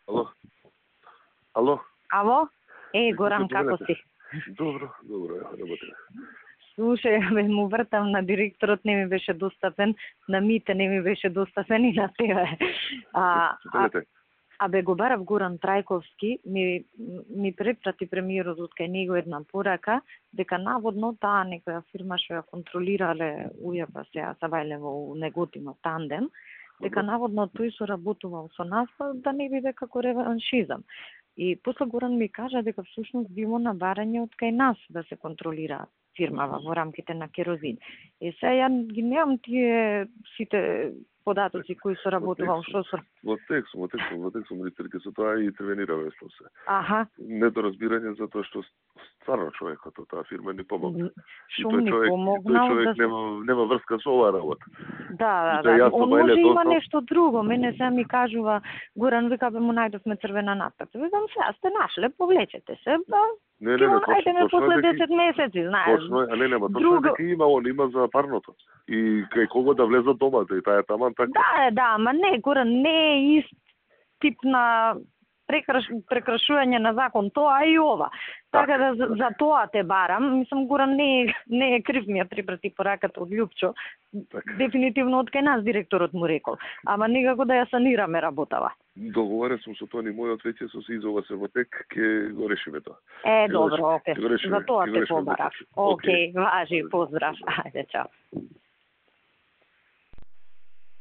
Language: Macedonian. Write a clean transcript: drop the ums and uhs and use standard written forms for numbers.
Ало? Ало? Ало? Горан, како си? Добро, работи. Слушај, му вртам на директорот, не ми беше достапен, на Мите не ми беше достапен и на тебе. Го барав Горан Трајковски, ми препрати премиерот од кај него една порака, дека наводно таа некоја фирма што ја контролирале УЈП сега Савајлево у Неготино тандем, дека наводно тој соработувал со нас, да не биде како реваншизам. И после Горан ми кажа дека всушност било набарање од кај нас да се контролира фирмава во рамките на Керозин. И сега ја ги немам тие сите податоци кои соработувал, што со... Во текст, министерке со тоа и интервенираме со се. Аха. Недоразбирање затоа што стварно човекот од таа фирма не помогна. Шо ми помогнал? Тој човек нема врска со оваа работа. Да. Он може има нешто друго. Мене се ми кажува, Горан, вика, му најдовме црвена надписа. Викам, сега сте нашле, повлечете се. Не, најдеме после 10 месеци, знаеш. Точно, точно дека има за парното. И кај кого да влезат домата, и таа е таман така. Да, ама не, Горан, не е ист тип на прекрашување на закон, тоа и ова. Така да за тоа те барам. Мислам, Горан не е крив, ми ја припрати пораката од Љупчо. Дефинитивно од кај нас директорот му рекол. Ама никако да ја санираме работава. Договарен сум со Тони, мојот веќе со Сизова се во тек, ќе го решиме тоа. Добро, окей. За тоа те побарав. Окей, важи, поздрав. Ајде, чао.